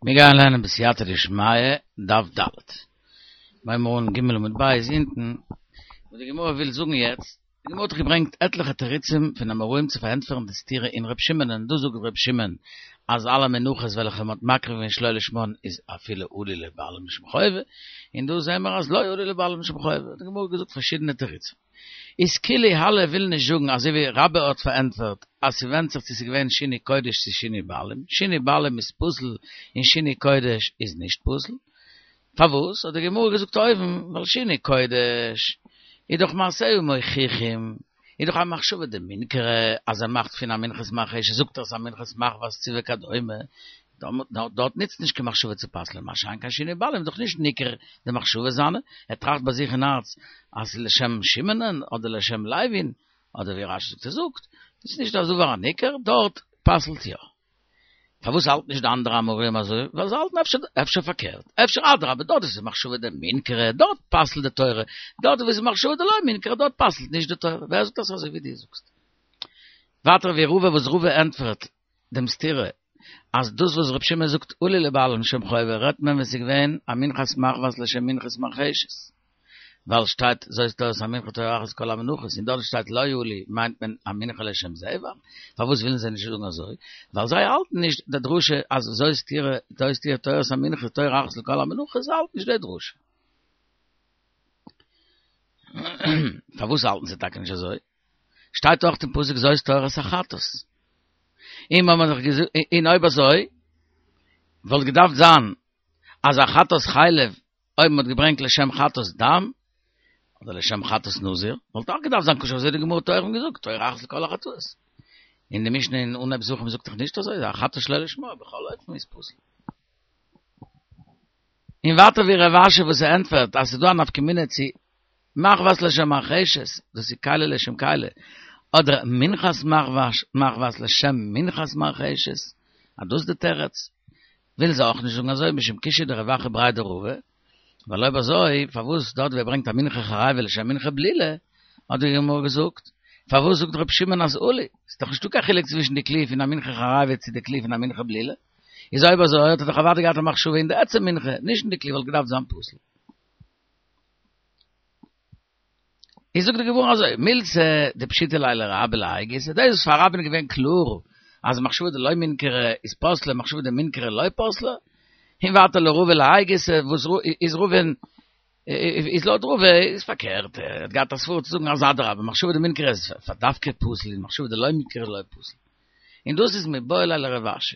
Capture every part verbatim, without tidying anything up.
מיר גייען לערנען בסייעתא דשמיא, דף ד'. מיר הייבן אן ג' עמוד ב' אונטן, וואס די גמרא וויל זאגן יעצט, די גמרא האט דאך געברענגט עטליכע תירוצים פון אמוראים צו פארענטפערן די סתירה אין ר' שמעון, און דא זאגט ר' שמעון אז אלע מנחות וועלכע מען האט מקריב געווען שלא לשמן איז אפילו עלו לבעלים לשם חובה, און דא זעען מיר אז לא עלו לבעלים לשם חובה, האט די גמרא געזאגט פארשידענע תירוצים. איז כולי האי וויל נישט זאגן אזוי ווי רבה האט פארענטפערט אז ס'ווענדט זיך צו ס'איז געווען שינוי קודש צו שינוי בעלים, שינוי בעלים איז פסול און שינוי קודש איז נישט פסול. פארוואס האט די גמרא געזאגט אויבן ווייל שינוי קודש איז דאך מעשיה מוכיחים איז דאך א מחשבה דמינכרא אז ער מאכט פון א מנחת מרחשת זאגט ער ס'איז א מנחת מחבת צו וכדומה דארט נוצט נישט קיין מחשבה צו פסל'ען, מה שאין כן שינוי בעלים איז דאך נישט ניכר די מחשבה זיינע, ער טראכט ביי זיך אין הארץ אז ס'איז לשם שמעונ'ען אדער לשם לוי'ן, אדער ווי רש"י זאגט ער זאגט, ס'איז נישט א דבר הניכר, דארט פסל'ט יא. פארוואס האלט נישט די אנדערע אמוראים אזוי? ווייל זיי האלטן אפשר אפשר פארקערט, אפשר אדרבה דארט וואו ס'איז מחשבה דמינכרא דארט פסל'ט די תורה, דארט וואו ס'איז מחשבה דלא מינכרא דארט פסל'ט נישט די תורה, ווער זאגט אז ס'איז אזוי ווי דו זאגסט? ווייטער ווי רבא וואס רבא ענטפערט דעם סתירה אז דאס וואס ר' שמעון זאגט עלו לבעלים לשם חובה רעדט מען ווען ס'איז געווען א מנחת מחבת לשם מנחת מרחשת ווייל שטייט זאת תורת המנחה תורה אחת לכל המנחות און דארט שטייט לא עלו מיינט מען א מנחה לשם זבח פארוואס ווילן זיי נישט זאגן אזוי ווייל זיי האלטן נישט די דרשה אז זאת תורה זאת תהיה תורת המנחה תורה אחת לכל המנחות זיי האלטן נישט די דרשה פארוואס האלטן זיי טאקע נישט אזוי? שטייט אויך אין פסוק זאת תורת החטאת. און מ'האט דאך געזאגט, און אויב אזוי וואלט געדארפט זיין אז א חטאת חלב אויב מ'האט געברענגט לשם חטאת דם אדער לשם חטאת נזיר וואלט אויך געדארפט זיין כשר אזוי האט די גמרא אויבן געזאגט תורה אחת לכל החטאות. און די משנה אין אנהייב זבחים זאגט דאך נישט אזוי, א חטאת שלא לשמה בכל אופן איז פסול. און ווייטער ווי רב אשי וואס ער ענטפערט אז ס'איז דא א נפקא מינה צו מחבת לשם מרחשת, דאס איז כלי לשם כלי, אדער מנחת מחבת לשם מנחת מרחשת, אז דאס איז די תירוץ, ווילן זיי אויך נישט זאגן אזוי משום קושיא דרב אחא בריה דרבא, ווייל אויב אזוי פארוואס דארט ווי ער ברענגט א מנחה חרבה לשם מנחה בלולה, האט די גמרא געזאגט, פארוואס זאגט רבי שמעון אז עלו, ס'איז דאך נישטא קיין חילוק צווישן די כלי פון א מנחה חרבה צו די כלי פון א מנחה בלולה, איז אויב אזוי האט ער דאך אוודאי געהאט א מחשבה אין די עצם מנחה, נישט אין די כלי וואלט געדארפט זיין פסול. איז זאגט די גמרא אזוי, מילתא דפשיטא ליה לרבה להאי גיסא, דאס וואס פאר רבה'ן איז געווען קלאר אז מחשבה דלא מינכרא איז פסלה מחשבה דמינכרא לא פסלה, און ווייטער לרבא להאי גיסא, וואס איז רבא'ן איז לויט רבא איז פארקערט, ער האט געהאט א סברא צו זאגן אז אדרבה מחשבה דמינכרא איז פאר דווקא פסול און מחשבה דלא מינכרא לא פסול. און דאס איז מיבעי ליה לרב אשי.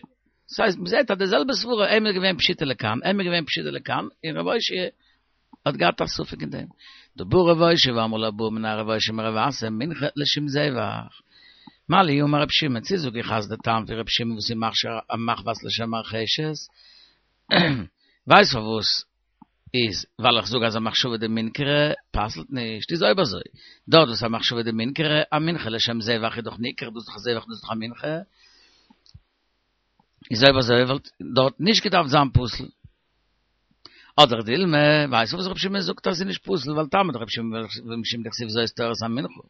דאס הייסט מ'זעט אז די זעלבע סברא, אים איז געווען פשיטא לכאן, אים איז געווען פשיטא לכאן, און רב אושעיא האט געהאט א ספק אין דעם. דבא רב אושעיא ואמרי לה בעא מיניה רב אושעיא מרב אסי מנחה לשם זבח. מה לי אמר רב שמעון, צו זאג איך אז די טעם פון רב שמעון וואס איז מכשיר א מחבת לשם מרחשת, ווייסט פארוואס איז ווייל איך זאג אז א מחשבה דמינכרא פסל'ט נישט, איז אויב אזוי דארט וואס א מחשבה דמינכרא א מנחה לשם זבח איז דאך ניכר דאס איז דאך א זבח דאס איז דאך א מנחה, איז אויב אזוי וואלט דארט נישט געדארפט זיין פסול. אדער דילמא, ווייסט פארוואס רבי שמעון זאגט אז ס'איז נישט פסול ווייל טעמא דרבי שמעון משום דכתיב זאת תורת המנחה,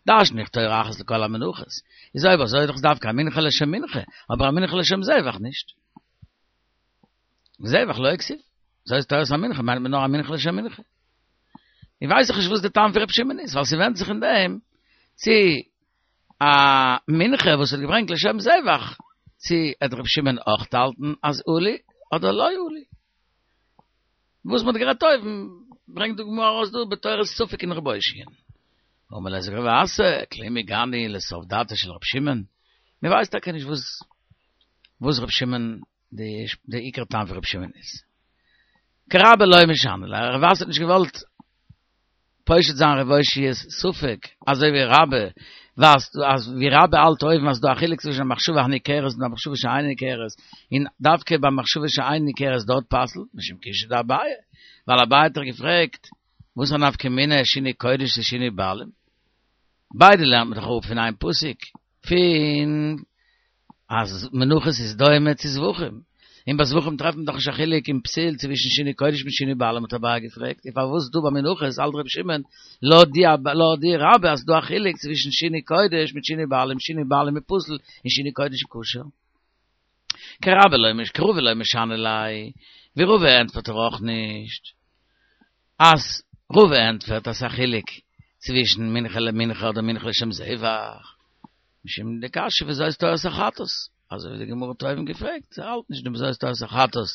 דרש'ן איך תורה אחת לכל המנחות, איז אויב אזוי איז דאך דווקא א מנחה לשם מנחה, אבער א מנחה לשם זבח נישט. זבח לא כתיב, זאת תורת המנחה מיינט מען נאר א מנחה לשם מנחה. איך ווייס דאך נישט וואס די טעם פון רבי שמעון איז, ווייל ס'ווענדט זיך אין דעם צו א מנחה וואס האט געברענגט לשם זבח, צו עט רבי שמעון אויך האלטן אז עלו אדער לא עלו. וואס מ'האט גערעדט אויבן, ברענגט די גמרא ארויס דא בתורת ספק אין רב אושעיא'ן. אמר ליה זאגט רב אסי, כלום הגענו לסוף דעתו של רבי שמעון, מ'ווייסט טאקע נישט וואס וואס רבי שמעון די עיקר טעם פון רבי שמעון איז. כרבה לא משני ליה, רב אסי האט נישט געוואלט פושט זיין רב אושעיא'ס ספק, אזוי ווי רבה ווייסט אז ווי רבה האלט אויבן אז ס'דא א חילוק צווישן א מחשבה הניכרת און א מחשבה שאינה ניכרת, און דווקא ביי מחשבה שאינה ניכרת דארט פסל'ט, משום קושיא דאביי, ווייל אביי האט דאך געפרעגט וואס א נפקא מינה שינוי קודש צו שינוי בעלים? ביידע לערנט מען דאך אפ פון איין פסוק, פון אז מנחות איז דומה צו זבחים, און ביי זבחים טרעפט מען דאך נישט א חילוק אין פסול צווישן שינוי קודש מיט שינוי בעלים האט אביי געפרעגט, און פארוואס דא ביי מנחות האלט רבי שמעון לויט די לויט די רבה אז ס'דא א חילוק צווישן שינוי קודש מיט שינוי בעלים, שינוי בעלים איז פסול און שינוי קודש איז כשר. כרבה לא מש, כרבא לא משני ליה, ווי רבא ענטפערט ער אויך נישט. אז רבא ענטפערט אז א חילוק צווישן מנחה למנחה אדער מנחה לשם זבח. משום דקשיא וזאת תורת החטאת. אזוי ווי די גמרא האט אויבן געפרעגט, זי האלט נישט דעם וזאת תורת החטאת.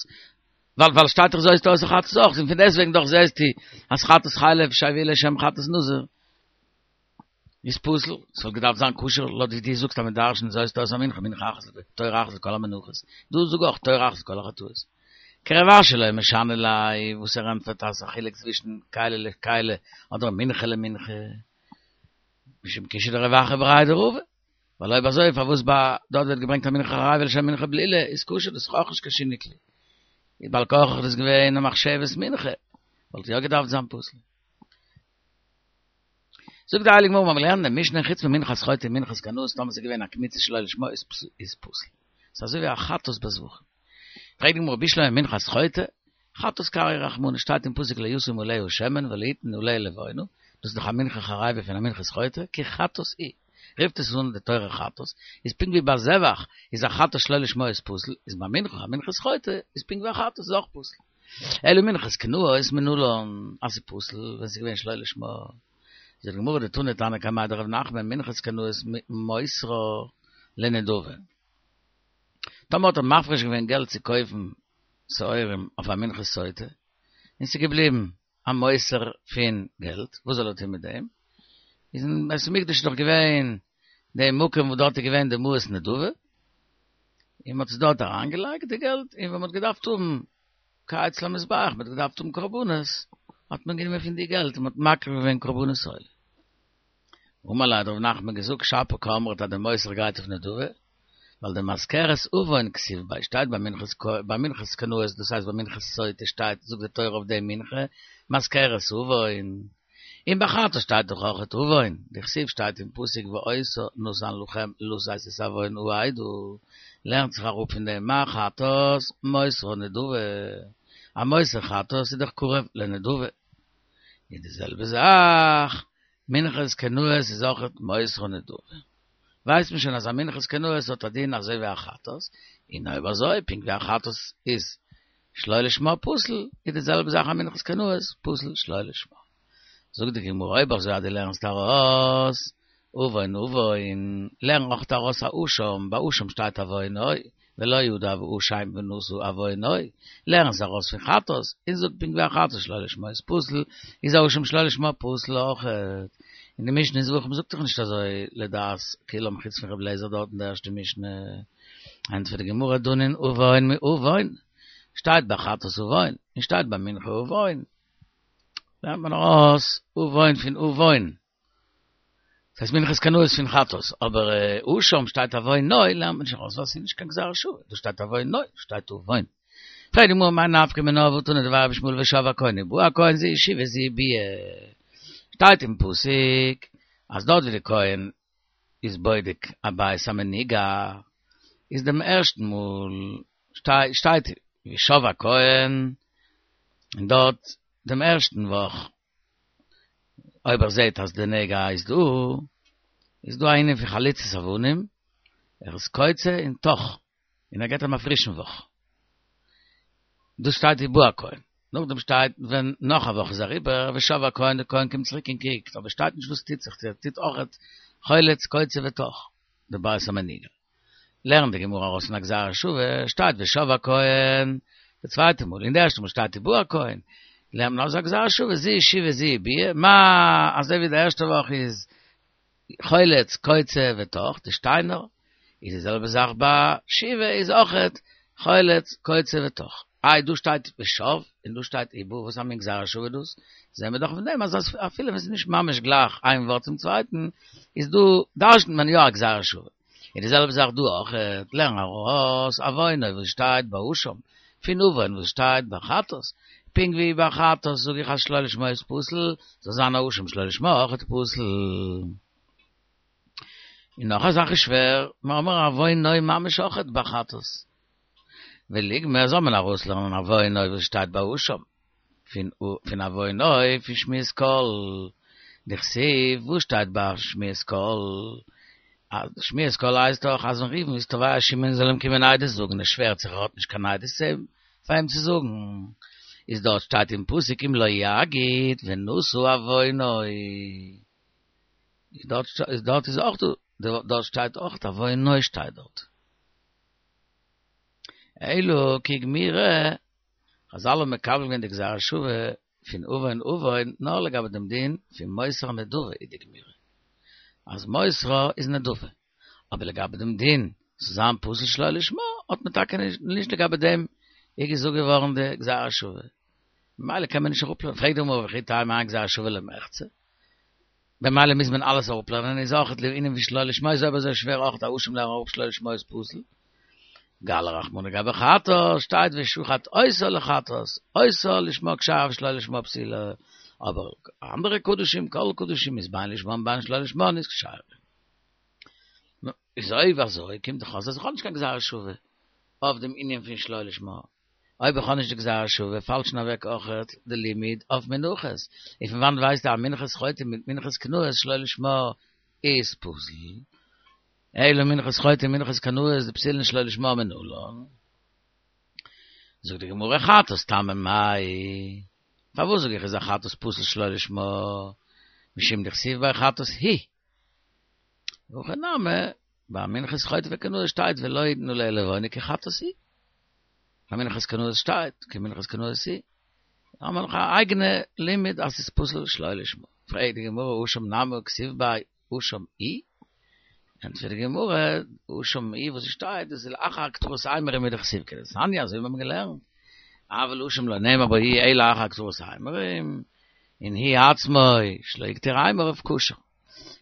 ווייל ווייל שטייט דאך זאת תורת החטאת אויך, און פון דעסטוועגן דאך זעסטו אז חטאת חלב שהביאה לשם חטאת נזיר. איז פסול, ס'וואלט געדארפט זיין כשר, לויט ווי דו זאגסט אז מען דרש'נט זאת תורת המנחה, מנחה אחת, תורה אחת לכל המנחות. דא זאג אויך תורה אחת לכל החטאות. כרב אשי לא משני ליה, וואס ער ענטפערט אז א חילוק צווישן כלי לכלי אדער מנחה למנחה. משום קושיא דרב אחא בריה דרבא. ווייל אויב אזוי פארוואס ביי דארט ווערט געברענגט א מנחה חריבה לשם מנחה בלולה איז כשר, דאס איז אויך נישט קיין שינוי כלי. איז בעל כרחך דאס געווען א מחשבת מנחה, וואלט יא געדארפט זיין פסול. זאגט די הייליגע גמרא, מיר האבן געלערנט אין משנה חוץ ממנחת חוטא ומנחת קנאות, טאמער ס'איז געווען א קמיצה שלא לשמה איז פסול. ס'איז אזוי ווי א חטאת ביי זבחים. פרעגט די גמרא בשלמא מנחת חוטא, חטאת קריא רחמנא, שטייט אין פסוק לא ישים עליה שמן ולא יתן עליה לבונה, דאס איז דאך א מנחה חריבה פון א מנחת חוטא, כי חטאת היא, רופט עס אן די תורה חטאת, איז פונקט ווי ביי זבח איז א חטאת שלא לשמה איז פסול, איז ביי מנחה א מנחת חוטא איז פונקט ווי א חטאת איז אויך פסול. אלא מנחת קנאות מנלן אז ס'איז פסול ווען ס'איז געווען שלא לשמה. זאגט די גמרא דתני תנא קמיה דרב נחמן מנחת קנאות מוסרה לנדבה. טאמער האט ער מפריש געווען געלט צו קויפן שעורים אויף א מנחת סוטה, און ס'איז געבליבן א מותר פון געלט, וואס זאל ער טון מיט דעם? איז אין בית המקדש איז דאך געווען די מקום וואס דארט איז געווען די מעות נדבה, און מ'האט עס דארט אריינגעלייגט די געלט, און ווען מ'האט געדארפט האבן כהץ למזבח, מ'האט געדארפט האבן קרבנות, האט מען גענומען פון די געלט און מ'האט מקריב געווען קרבנות עולה. אמר ליה האט רב נחמן געזאגט שפיר קאמרת אז די מותר גייט אויף נדבה, ווייל דמזכרת עון כתיב ביה שטייט ביי מנחת ביי מנחת קנאות דאס הייסט ביי מנחת סוטה שטייט זאגט די תורה אויף די מנחה מזכרת עון, און ביי חטאת שטייט דאך אויכעט עון, דכתיב שטייט אין פסוק ואותה נתן לכם לשאת את עון העדה, לערנט זיך אראפ פון דעם מה חטאת מותרה נדבה, א מותר חטאת איז דאך קרוב לנדבה, איז די זעלבע זאך מנחת קנאות איז אויכעט מותרה נדבה. ווייסט מען שוין אז א מנחת קנאות האט א דין אזוי ווי א חטאת, און אויב אזוי פונקט ווי א חטאת איז שלא לשמה פסול, איז די זעלבע זאך א מנחת קנאות פסול שלא לשמה. זאגט די גמרא אויב אזוי אז דו לערנסט ארויס עון עון, לערן אויך ארויס א אשם, ביי אשם שטייט עוונו, ולא ידע ואשם ונשא עוונו, לערן עס ארויס פון חטאת, און זאג פונקט ווי א חטאת שלא לשמה איז פסול, איז א אשם שלא לשמה פסול אויכעט. און די משנה אין זבחים זאגט דאך נישט אזוי לדעת כולם חוץ פון רבי אליעזר דארט אין די ערשטע משנה. ענטפערט די גמרא דנין עון מעון, שטייט ביי חטאת עון, און שטייט ביי מנחה עון, לערנט מען ארויס עון פון עון. דאס הייסט מנחת קנאות פון חטאת, אבער אשם שטייט עוונו לערנט מען נישט ארויס ווייל ס'איז נישט קיין גזירה שוה, דא שטייט עוונו, שטייט עון. פרעגט די גמרא מאי נפקא מינה והתנא דבי רבי ישמעאל ושב הכהן ובא הכהן זו שיבה זו ביאה, שטייט אין פסוק אז דארט ווי די כהן איז בודק א בית המנוגע איז דעם ערשטן מאל שטייט ושב הכהן און דארט דעם ערשטן וואך אויב ער זעט אז די נגע איז דא, איז דא א ענין פון חליצת אבנים, ער איז קוצה און טח, און ער געבט אים א פרישן וואך. דאס שטייט ובא הכהן. נאכדעם שטייט ווען נאך א וואך איז אריבער, ושב הכהן, די כהן קומט צוריק און קוקט, אבער שטייט נישט וואס טוט זיך, צו ער טוט אויכעט חולץ, קוצה וטח, די בית המנוגע. לערנט די גמרא ארויס פון א גזירה שוה, שטייט ושב הכהן די צווייטע מאל, און די ערשטע מאל שטייט ובא הכהן, לערנט מען ארויס א גזירה שוה, זו שיבה זו ביאה, מה אזוי ווי די ערשטע וואך איז חולץ קוצה וטח, די שטיינער, איז די זעלבע זאך ביי שיבה איז אויכעט חולץ קוצה וטח. איי דא שטייט ושב און דא שטייט ובא, וואס א מין גזירה שוה איז דאס? זעהן מיר דאך פון דעם אז אפילו ווען ס'איז נישט ממש גלייך איין ווארט צום צווייטן, איז דא דרש'נט מען יא א גזירה שוה. און די זעלבע זאך דא אויך, לערן ארויס עוונו וואס שטייט ביי אשם, פון עון וואס שטייט ביי חטאת, פונקט ווי ביי חטאת זאג איך אז שלא לשמה איז פסול, זאל זיין א אשם שלא לשמה אויכעט פסול. און נאך א זאך איז שווער, מיר האבן עוונו ממש אויכעט ביי חטאת. וליגמר זאל מען ארויסלערנען עוונו וואס שטייט ביי אשם, פון עוונו פון שמיעת קול, דכתיב וואס שטייט ביי שמיעת קול? אז שמיעת קולו הייסט דאך אז ווען ראובן איז תובע שמעון זאל אים קומען עדות זאגן, ער שווערט זיך ער האט נישט קיין עדות צו פאר אים צו זאגן, איז דארט שטייט אין פסוק אם לא יגיד ונשא עוונו, איז דארט איז דארט איז אויך דא, דארט שטייט אויך עוונו שטייט דארט. אלא כי גמירי, חזל האבן מקבל געווען די גזירה שוה פון עוון עוון נאר לגבי דעם דין פון מוסרה נדבה איז די גמירי אז מוסרה איז נדבה, אבער לגבי דעם דין צו זיין פסול שלא לשמה האט מען טאקע נישט לגבי דעם איז געזאגט געווארן די גזירה שוה, ממילא קען מען נישט אראפלערנען, פרעגט די גמרא וכי תימא האי גזירה שוה למחצה, במילא מוז מען אלעס אראפלערנען, איז אויך לענין ווי שלא לשמה איז אויב אזוי שווער אויך א אשם לערנען אראפ שלא לשמה איז פסול. גלי רחמנא גבי חטאת שטייט ושחט אותה לחטאת, אותה לשמה כשרה ושלא לשמה פסולה, אבער אנדערע קדשים, כל קדשים איז בין לשמה בין שלא לשמה איז כשרה. נו, איז אויב אזוי קומט דאך אויס אז איך האב נישט קיין גזירה שווה אויף דעם ענין פון שלא לשמה. אויב איך האב נישט די גזירה שווה פאלט שוין אוועק אויכעט די לימוד אויף מנחות. און פון וואנעט ווייסטו אז מנחת חוטא מיט מנחת קנאות שלא לשמה איז פסול? אלא מנחת חוטא מנחת קנאות דפסולין שלא לשמה מנלן. זאגט די גמרא חטאת טעמא מאי, פארוואס זאג איך איז א חטאת פסול שלא לשמה, משום דכתיב ביה חטאת היא. הכא נמי, ביי מנחת חוטא וקנאות שטייט ולא יתנו עליה לבונה כי חטאת היא. ביי מנחת קנאות שטייט כי מנחת קנאות היא. האבן מיר נאך א אייגענע לימוד אז ס'איז פסול שלא לשמה. פרעגט די גמרא אשם נמי הא כתיב ביה אשם הוא? ענטפערט די גמרא, אשם הוא וואס עס שטייט דאס איז לאחר הקטרת אימורים הוא דכתיב כדתניא אזוי ווי מיר האבן געלערנט, אבל אשם לא נאמר בו הוא אלא אחר הקטרת האימורים, און הוא עצמו שלא הקטיר אימוריו כשר.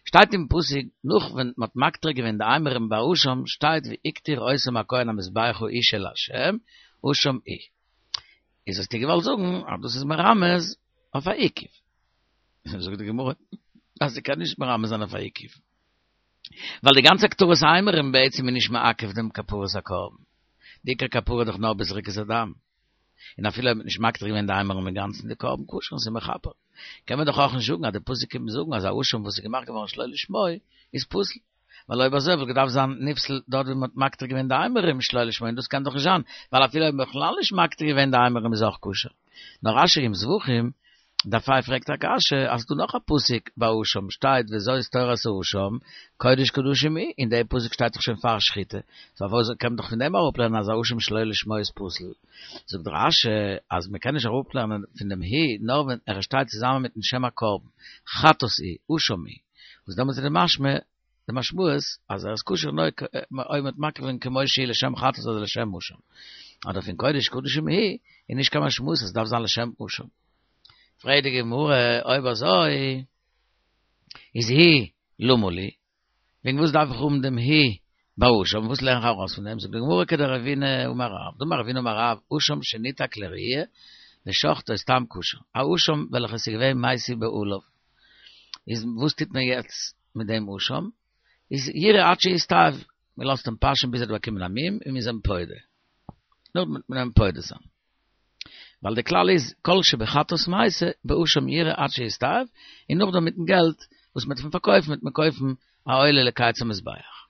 שטייט אין פסוק נאך ווען מען האט מקטיר געווען די אימורים ביי אשם שטייט והקטיר אותם הכהן המזבחה אשה לה' אשם הוא. איז האסטו געוואלט זאגן אז דאס איז מרמז אויף א עיכוב. זאגט די גמרא אז ס'קען נישט מרמז זיין אויף א עיכוב. ווייל די גאנצע הקטרת האימורים בעצם איז נישט מעכב דעם כפרת הקרבן. די עיקר כפרה איז דאך נאר בזריקת הדם. און אפילו אויב מ'האט נישט מקטיר געווען די אימורים אינגאנצן די קרבן כשר און ס'איז מכפר. קען מען דאך אויך נישט זאגן אז די פסוק קומט זאגן אז א אשם וואס איז געמאכט געווארן שלא לשמו איז פסול. ווייל אויב אזוי וואלט געדארפט זיין נפסל דארט ווי מ'האט מקטיר געווען די אימורים שלא לשמו און דאס קען דאך נישט זיין ווייל אפילו אויב מ'האט בכלל נישט מקטיר געווען די אימורים איז אויך כשר. נאר רשי אין זבחים דף ה' פרעגט א קשיא אז ס'דא נאך א פסוק ביי אשם שטייט וזאת תורת האשם קודש קדשים הוא און די פסוק שטייט דאך שוין פאר שחיטה סאו פארוואס קען מען דאך פון דעם אראפלערנען אז א אשם שלא לשמו איז פסול זאגט רשי אז מ'קען נישט אראפלערנען פון דעם הוא נאר ווען ער שטייט צוזאמען מיטן שם הקרבן חטאת הוא אשם הוא וואס דעמאלטס איז די משמע די משמעות אז ער איז כשר נאר אויב מ'האט מקריב געווען כמו שהיא לשם חטאת אדער לשם אשם. אדער פון קודש קדשים הוא איז נישט קיין משמעות אז עס דארף זיין לשם אשם. פרעגט די גמרא אויב אזוי איז הוא למה לי, וועגן וואס דארף איך האבן דעם הוא ביי אשם, וואס לערן איך ארויס פון דעם, זאגט די גמרא כדרבינא אמר רב, דאמר רבינא אמר רב, אשם שניתק לראיה ושחטו סתם כשר, א אשם וועלכע עס איז געווען מתו בעליו, איז וואס טוט מען יעצט מיט דעם אשם? איז ירעה עד שיסתאב, מען לאזט אים פאשען ביז ער האט באקומען א מום און מען איז אים פודה, נאכדעם וועט מען אים פודה זיין. ווייל די כלל איז כל שבחטאת מתה באשם ירעה עד שיסתאב, און נאכדעם מיטן געלט וואס מען וועט פון פארקויפן וועט מען קויפן א עולה לקיץ המזבח.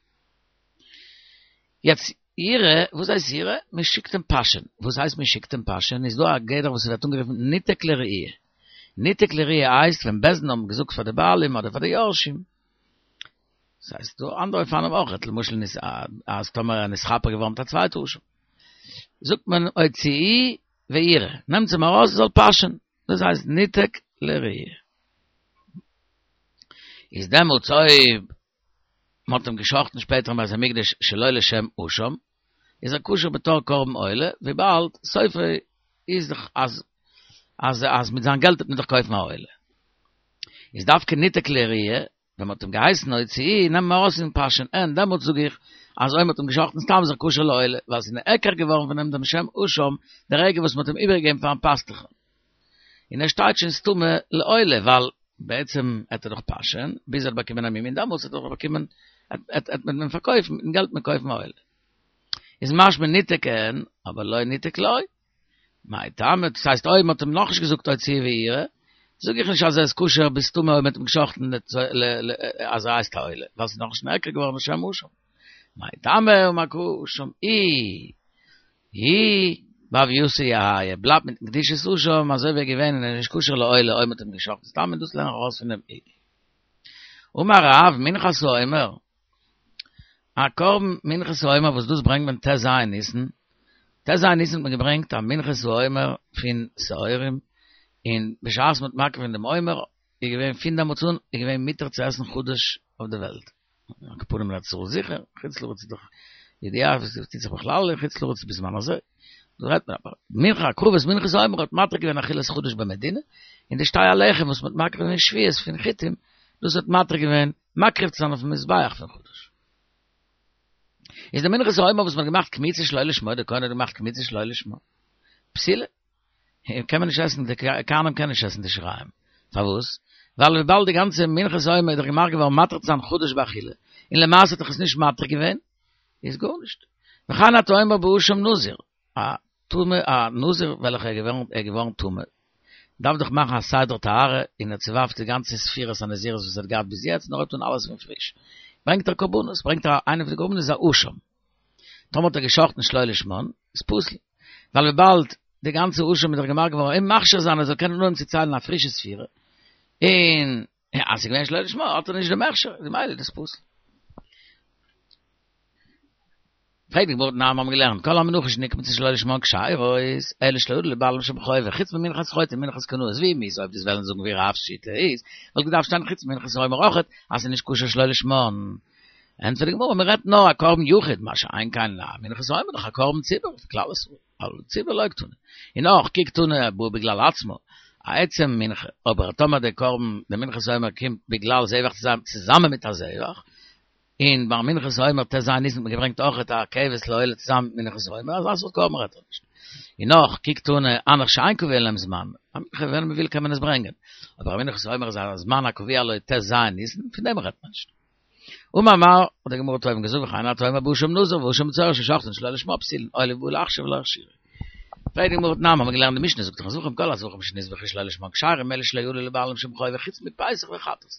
יעצט ירעה, וואס הייסט ירעה? מען שיקט אים פאשען. וואס הייסט מען שיקט אים פאשען? איז דא א גדר וואס ווערט אנגערופן ניתק לראי'. ניתק לראי' הייסט ווען בית דין האבן געזאגט פאר די בעלים אדער פאר די יורשים, ס'הייסט דא אנדערע אופנים אויך, למשל אז טאמער ער נתכפר געווארן מיט א צווייטע אשם, זאגט מען הוציאוהו וירעה, נעמטס אים ארויס ער זאל פאשען, דאס הייסט ניתק לראי'. איז דעמאלטס אויב מ'האט אים גע'שחט'ן שפעטער אין בית המקדש שלא לשם אשם, איז ער כשר בתור קרבן עולה, וויבאלד סופו איז דאך אז אז אז מיט זיין געלט וועט מען דאך קויפן א עולה. איז דווקא ניתק לראי', ווען מ'האט אים געהייסן הוציאוהו, נעם אים ארויס און פאשען, און דעמאלטס זאג איך אז אויב מ'האט אים גע'שחט'ן סתם איז ער כשר לעולה, ווייל ס'איז נעקר געווארן פון אים דעם שם אשם די רגע וואס מ'האט אים איבערגעגעבן פארן פאסטוך. און ער שטייט שוין סתמא לעולה, ווייל בעצם עט ער דאך פאשען ביז ער האט באקומען א מום און דעמאלטס האט ער דאך באקומען עט מען אים פארקויפן מיטן געלט מען קויפן א עולה. איז משמע ניתק אין, אבער לא ניתק לא. מאי טעמא, דאס הייסט אויב מ'האט אים נאכנישט געזאגט הוציאוהו וירעה, זאג איך נישט אז ער איז כשר בסתמא אויב מ'האט אים געשחט'ן אז ער הייסט א עולה, ווייל ס'איז נאכנישט נעקר געווארן לשם אשם. מאי טעמא אמר קרא אשם איהו בהוייתו יהא, ער בלייבט מיטן קדושת אשם אזוי ווי ער איז געווען און ער איז נישט כשר לעולה אויב מ'האט אים געשחט'ן סתם און דאס לערן איך ארויס פון דעם איהו. אמר רב מנחת העומר, א קרבן מנחת העומר וואס דאס ברענגט מען ט"ז ניסן, ט"ז ניסן האט מען געברענגט א מנחת העומר פון שעורים, און בשעת מ'האט מקריב געווען דעם עומר איז געווען פון דעמאלטס אן איז געווען מותר צו עסן חדש אויף די וועלט, על כל פנים אין ארץ ישראל זיכער, חוץ לארץ איז דאך ידיעה וואס טוט זיך בכלל אין חוץ לארץ בזמן הזה, דא רעדט מען אבער מנחה הקרבת מנחת העומר האט מתיר געווען אכילת חדש במדינה, און די שתי הלחם וואס מ'האט מקריב געווען שבועות פון חיטים, דאס האט מתיר געווען מקריב צו זיין אויפן מזבח פון חדש. איז די מנחת העומר וואס מ'האט געמאכט קמיצה שלא לשמה, די כהן האט געמאכט קמיצה שלא לשמה, פסולה, קען מען נישט עסן, די כהנים קענען נישט עסן די שיריים, פארוואס? ווייל וויבאלד די גאנצע מנחת העומר איז דאך געמאכט געווארן מתיר צו זיין חדש באכילה, און למעשה האט דאך עס נישט מתיר געווען, איז גארנישט. וכן אתה אומר באשם נזיר, א טמא, א נזיר וועלכער איז געווארן איז געווארן טמא, דארף דאך מאכן א סדר טהרה, און ער צעווארפט די גאנצע ספירת הנזירות וואס ער האט געהאט ביז יעצט, און ער הויבט אן אלעס פון פריש. ברענגט ער קרבנות, ברענגט ער איינע פון די קרבנות איז א אשם. טאמער האט ער גע'שחט'ן שלא לשמן, איז פסול. ווייל וויבאלד די גאנצע אשם איז דאך געמאכט געווארן אים מכשיר זיין ער זאל קענען אנהויבן צו ציילן א פרישע ספירה, און אז ס'איז געווען שלא לשמה האט ער נישט דעם הכשר, איז ממילא דאס פסול. פרעגט די גמרא תנן מיר האבן געלערנט כל המנחות שנקמצו שלא לשמן כשרות אלא שלא עלו לבעלים שום חובה חוץ ממנחת חוטא ומנחת קנאות ואם איז אויב דו'סט וועלן זאגן ווי רב'ס שיטה איז וואלט געדארפט שטיין חוץ ממנחת העומר אויכעט אז ס'איז נישט כשר שלא לשמן ענטפערט די גמרא מ'רעדט נאר א קרבן יחיד מה שאין כן א מנחת העומר דאך א קרבן ציבור פון כלל ישראל אבל ציבור לא קתני און נאך כי קתני הבאה בגלל עצמה א עצם מנחה אבער טאמער די קרבן די מנחת העומר קומט בגלל זבח צוזאמען מיט א זבח און ביי מנחת העומר ט"ז ניסן האט מען געברענגט אויכעט א כבש לעולה צוזאמען מיט מנחת העומר, אזא סארט קרבן רעדט ער נישט. און נאך, כי קתני הנך שאין קבוע להם זמן, א מנחה ווען מען וויל קען מען עס ברענגען, אבער א מנחת העומר איז א זמן הקבוע לו ט"ז ניסן, פון דעם רעדט מען נישט. אמר מר, האט די גמרא אויבן געזאגט וכן אתה אומר באשם נזיר ואשם מצורע ששחטן שלא לשמה פסולין, עולה ובא להכשיר ולא הכשירו. פרעגט די גמרא תנן, האבן מיר געלערנט די משנה זאגט דאך אין זבחים כל הזבחים שנזבחו שלא לשמן כשרים אלא שלא עלו לבעלים שום חובה חוץ מפסח וחטאת.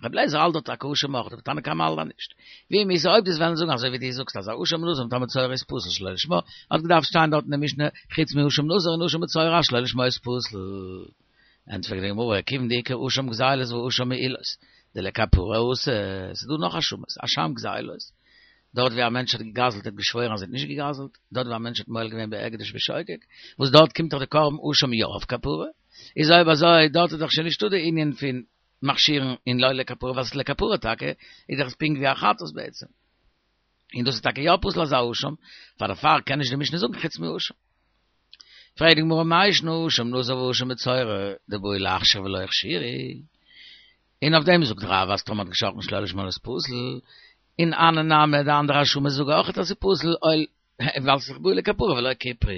רבי אליעזר האלט דארט טאקע אשם אויך, אבער תנא קמא האלט אז נישט. ואם איז אויב דו'סט וועלן זאגן אזוי ווי דו זאגסט אז א אשם נזיר מיט א מצורע איז פסול שלא לשמה, האט געדארפט שטיין דארט אין די משנה חוץ מאשם נזיר און אשם מצורע שלא לשמה איז פסול. ענטפערט די גמרא, כיוון דאיכא אשם גזילות ואשם מעילות, דלכפרה אתא, ס'איז דא נאך אשמות, אשם גזילות, דארט ווי א מענטש האט געגזלט האט געשוואוירן אז ער האט נישט געגזלט, דארט ווי א מענטש האט מועל געווען בהקדש בשוגג, וואס דארט קומט דאך די קרבן אשם יא אויף כפרה, איז אויב אזוי דארט איז דאך שוין נישטא די ענין פון מכשירין און לא לכפרה ווייל ס'איז לכפרה טאקע, איז דאך עס פונקט ווי א חטאת בעצם. און דאס איז טאקע יא פסול אזא אשם, פאר דערפאר קען נישט די משנה זאגן חוץ מאשם. פרעגט די גמרא מאי שנא אשם נזיר ואשם מצורע דבעו להכשיר ולא הכשירו, און אויף דעם זאגט רב אז טאמער האט געשחטן שלא לשמה איז פסול, און הני נמי די אנדערע אשמות זאגן אויך אז ס'איז פסול ווייל ס'איז בעי לכפרה ולא כיפרו.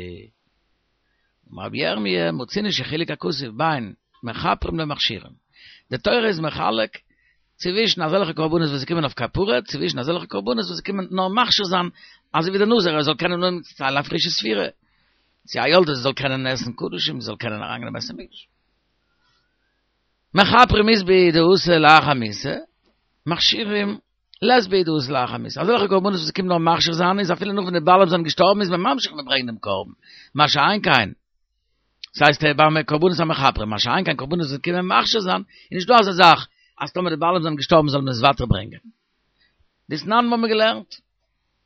אמר רבי ירמי', מצינו שחילק הכתוב בין מכפרים למכשירים. די תורה איז מחלק צווישן אזעלכע קרבנות וואס קומען אויף כפרה, צווישן אזעלכע קרבנות וואס קומען נאר מכשיר זיין, אזוי ווי דער נזיר ער זאל קענען אנהויבן צו ציילן א פרישע ספירה, צו א יולדת זאל קענען עסן קדשים, זאל קענען אריינגיין אין בית המקדש. מכפרים אית בהו דאתי לאחר מיתה, מכשירים לית בהו דאתי לאחר מיתה. אזעלכע קרבנות וואס קומט נאר מכשיר זיין איז אפילו נאך ווען די בעלים זענען געשטארבן איז מען ממשיך מיט ברענגען דעם קרבן. מה שאין כן, ס'הייסט ביי קרבנות המכפרים, מה שאין כן קרבנות וואס קומען מכשיר זיין, איז נישטא אזא זאך אז טאמער די בעלים זענען געשטארבן זאל מען עס ווייטער ברענגען. דתנן האבן מיר געלערנט.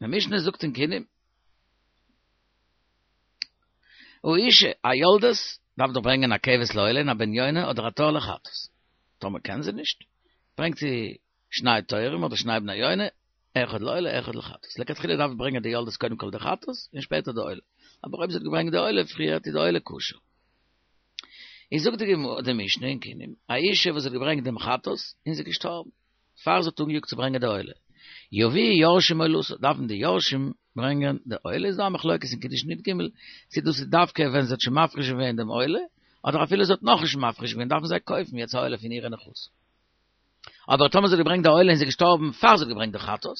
די משנה זאגט אין קינים. האשה, א יולדת דארף דאך ברענגען א כבש לעולה און א בן יונה אדער א תור לחטאת. טאמער קען זי נישט, ברענגט זי שני תורים אדער שני בני יונה, אחד לעולה אחד לחטאת. לכתחילה דארף ברענגען די יולדת קודם כל די חטאת און שפעטער די עולה. אבער אויב זי האט געברענגט די עולה פריערט איז די עולה כשר. איז זאגט די משנה אין קינים, א אישה וואס האט געברענגט דעם חטאת און זי איז געשטארבן פאר זי האט אנגעיאגט צו ברענגען די עולה, יביאו יורשים עולתה, דארפן די יורשים ברענגען די עולה, איז דא א מחלוקת אין קידושין י"ג, צו דאס איז דווקא ווען זי האט שוין מפריש געווען דעם עולה, אדער אפילו זי האט נאכנישט מפריש געווען דארפן זיי קויפן יעצט א עולה פון אירע נכסים. אבער טאמער זי האט געברענגט די עולה און זי איז געשטארבן פאר זי האט געברענגט די חטאת,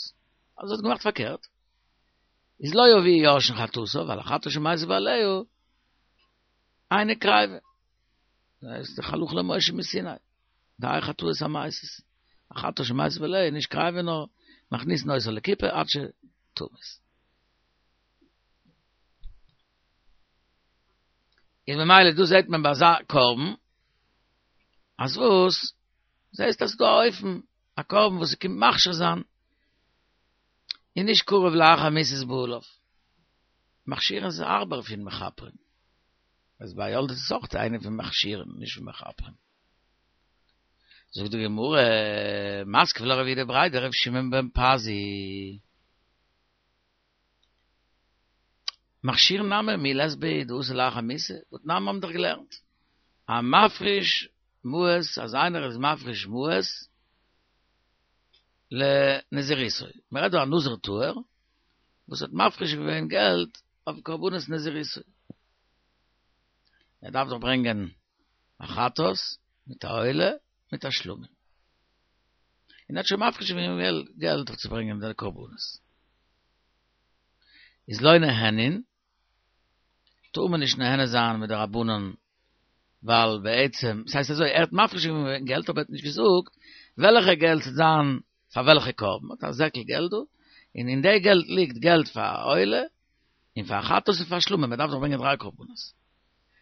אז זי האט געמאכט פארקערט, איז לא יביאו יורשין חטאתה, ווייל החטאת שמתו בעליה אינה קריבה. דאס איז דאך הלכה למשה מסיני. די חטאות המתות. א חטאת שמתה בעליה, נישט קריבין נאר מכניסין אותה לכיפה עד שתמות. איז ממילא דא זעט מען ביי אזא קרבן, אז וואס? זעסט אז ס'דא א אופן, א קרבן וואס ס'קומט מכשיר זיין, און נישט קרוב לאחר מיתת בעליו. מכשירין איז הארבער פון מכפרים. אז ביי יולדת איז אויך איינע פון מכשירים, נישט פון מכפרים. זאגט די גמרא, מתקיף לה רב יהודה בריה דרב שמעון בן פזי. מכשירין נמי מי לית בהו דאתי לאחר מיתה, והתנן האבן דאך געלערנט. המפריש מעות, אז איינער איז מפריש מעות לנזירותו. מען רעדט דא א נזיר טהור וואס האט מפריש געווען געלט אויף קרבנות נזירותו. ער דארף דאך ברענגען א חטאת מיט א עולה מיט א שלמים. און ער האט שוין מפריש געווען געלט אויף צו ברענגען די קרבנות. איז לא נהנין, טאר מען נישט נהנה זיין מדרבנן, ווייל בעצם, ס'הייסט אזוי, ער האט מפריש געווען געלט אבער ער האט נישט געזאגט וועלכע געלט ס'וועט זיין פאר וועלכע קרבן, האט א זעקל געלט דא, און אין די געלט ליגט געלט פאר א עולה, און פאר א חטאת און פאר שלמים, מען דארף דאך ברענגען דריי קרבנות.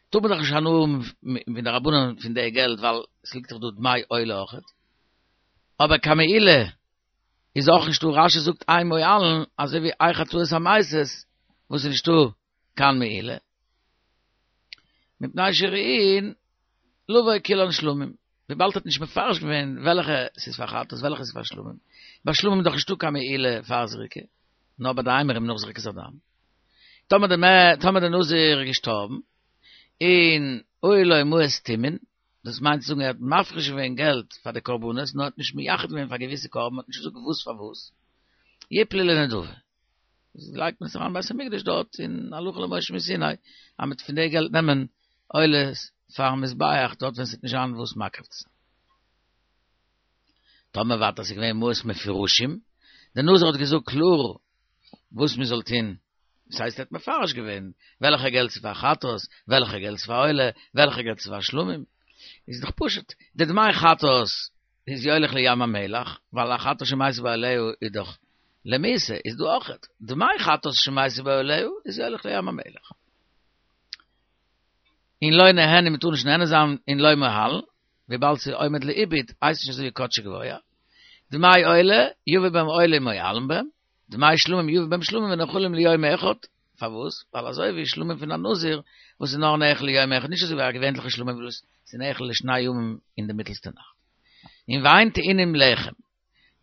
טאר מען דאך נישט הנאה האבן מדרבנן פון די געלט ווייל עס ליגט דאך דא דמי עולה אויכעט. אבער קיין מעילה איז אויך נישטא, רש"י זאגט אין מועלין אזוי ווי אין חטאות המתות וואס איז נישטא קיין מעילה. מפני שראויין לבוא כולן שלמים, וויבאלד ער האט נישט מפרש געווען וועלכע ס'איז פאר חטאת וועלכע ס'איז פאר שלמים, ביי שלמים איז דאך נישטא קיין מעילה פאר זריקה, נאר ביי די אימורים נאך זריקת הדם. טאמער די טאמער די נזיר איז געשטארבן און היו לו מעות טמון, דאס מיינט צו זאגן ער האט מפריש געווען געלט פאר די קרבנות נאר האט נישט מייחד געווען פאר געוויסע קרבן האט נישט געזאגט וואס פאר וואס, יפלו לנדבה. איז לייגט מען עס אריין בית המקדש דארט אין הלכה למשה מסיני אז מ'וועט פון די געלט נעמען עולות פארן מזבח דארט ווען ס'וועט נישט זיין וואס מקריב צו זיין. טאמער ווייטער ס'איז געווען מעות מפורשים, דער נזיר האט געזאגט קלאר וואס מ'זאל טון, דאס הייסט ער האט מפרש געווען וועלכע געלט ס'איז פאר חטאת, וועלכע געלט ס'איז פאר עולה, וועלכע געלט ס'איז פאר שלמים, איז דאך פשוט, די דמי חטאת איז יוליך לים המלח, ווייל א חטאת שמתו בעליה איז דאך למיתה, איז דא אויכעט, דמי חטאת שמתו בעליה איז יוליך לים המלח. און לא נהנין מ'טאר נישט נהנה זיין און לא מועלין, וויבאלד ס'איז עומד לאיבוד, הייסט נישט אזוי ווי קדשו גבוה. דמי עולה, יביא בהם עולה ומועלין בהם, דמי שלמים יביא בהם שלמים ונאכלים ליום אחד, פארוואס? ווייל אזוי ווי שלמים פון א נזיר וואס איז נאר נאכל ליום אחד, נישט אזוי ווי א געווענליכע שלמים וואס איז נאכל לשני ימים אין די מיטלסטע נאכט. און ואין טעונים לחם.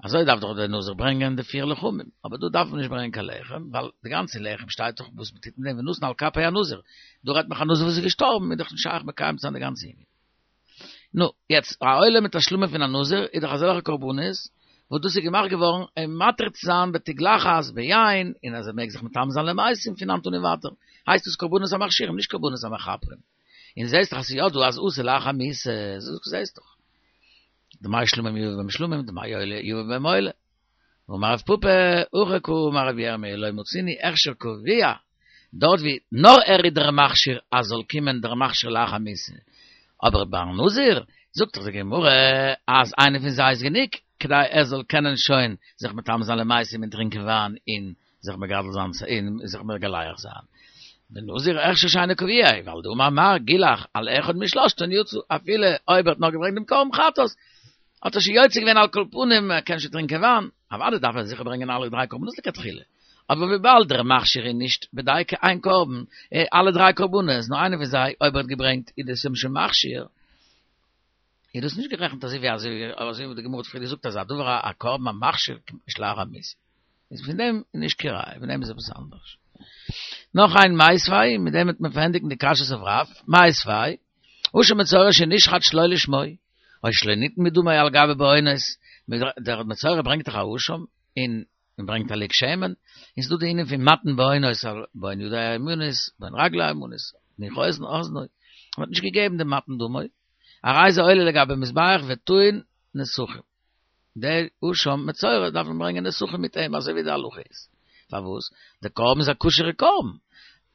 אזוי דארף דאך דער נזיר ברענגען די פיר לחמים, אבער דא דארף מען נישט ברענגען קיין לחם, ווייל די גאנצע לחם שטייט דאך וואס מ'טוט מיט דעם ונתן על כפי הנזיר, דא רעדט מען א נזיר וואס איז געשטארבן, איז דאך נישט שייך מקיים צו זיין די גאנצע ענין. נו, יעצט, א עולה מיט א שלמים פון א נזיר איז דאך אזעלכע קרבנות וואס דאס איז געמאכט געווארן אים מתיר צו זיין בתגלחת ביין, און אז ער מעג זיך מטמא זיין למתים פון היינט אן און ווייטער, הייסט דאס קרבנות המכשירים, נישט קרבנות המכפרים. און זעסט דאך אז ס'איז יא דא אז אתי לאחר מיתה, זעסט דאך. דמי שלמים יביא בהם שלמים, דמי עולה יביא בהם עולה. ואמר רב פפא, הכי קאמר רבי ירמי' לא מצינו הכשר קבוע, דארט ווי נאר ער איז דער מכשיר אז זאל קומען דער מכשיר לאחר מיתה, אבער ביי נזיר זאגט דאך די גמרא אז איינער פון זיי איז גענוג כדי ער זאל קענען שוין זיך מטמא זיין למתים און טרינקען וויין און זיך מגדל זיין און זיך מגלח זיין. בנזיר הכשר שאינו קבוע, ווייל דאמר מר גילח על אחד משלושתן יצא, אפילו אויב ער האט נאר געברענגט דעם קרבן חטאת, האט ער שוין יוצא געווען על כל פנים, ער קען שוין טרינקען וויין, אוודאי דארף ער זיכער ברענגען אלע דריי קרבנות לכתחילה, אבער וויבאלד דער מכשיר איז נישט בדייקא איין קרבן, אלע דריי קרבנות, נאר איינער פון זיי, אויב ער האט געברענגט איז דאס אים שוין מכשיר, איז דאס נישט גערעכנט אזוי ווי אזוי ווי די גמרא האט פריער געזאגט אז א דבר א קרבן המכשיר קומט נישט לאחר מיתה. איז פון דעם נישט קיין ראיה, פון דעם איז עפעס אנדערש. נאך איין מיתיבי, מיט דעם וועט מען פארענדיגן די קשיות אויף רב, מיתיבי, אשם מצורע שנשחט שלא לשמו, או שלא ניתן מדמו על גבי בהונות, דער מצורע ברענגט דאך א אשם, און מען ברענגט א לוג שמן, און ס'דא די ענין פון מתן בהונות, בהון ידו הימנית, בהון רגלו הימנית, נוך אוזנו, מען האט נישט געגעבן די מתן דמו, הרי זה עולה לגבי מזבח וטעון נסכים. דער אשם מצורע דארף מען ברענגען נסכים מיט אים אזוי ווי די הלכה איז. פארוואס? די קרבן איז א כשר'ע קרבן.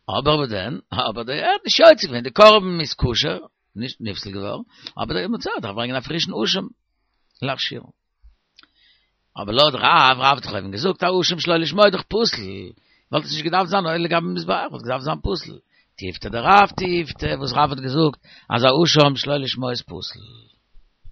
אבער וואס דען? אבער דער ער האט נישט יוצא געווען, די קרבן איז כשר, נישט נפסל געווארן, אבער דער מצורע דארף ברענגען א פרישן אשם להכשירו. אבער לויט רב, רב האט דאך אויבן געזאגט א אשם שלא לשמה איז דאך פסול, וואלט עס נישט געדארפט זיין עולה לגבי מזבח, וואלט געדארפט זיין פסול. תיובתא דרב תיובתא, וואס רב האט געזאגט אז א אשם שלא לשמה איז פסול.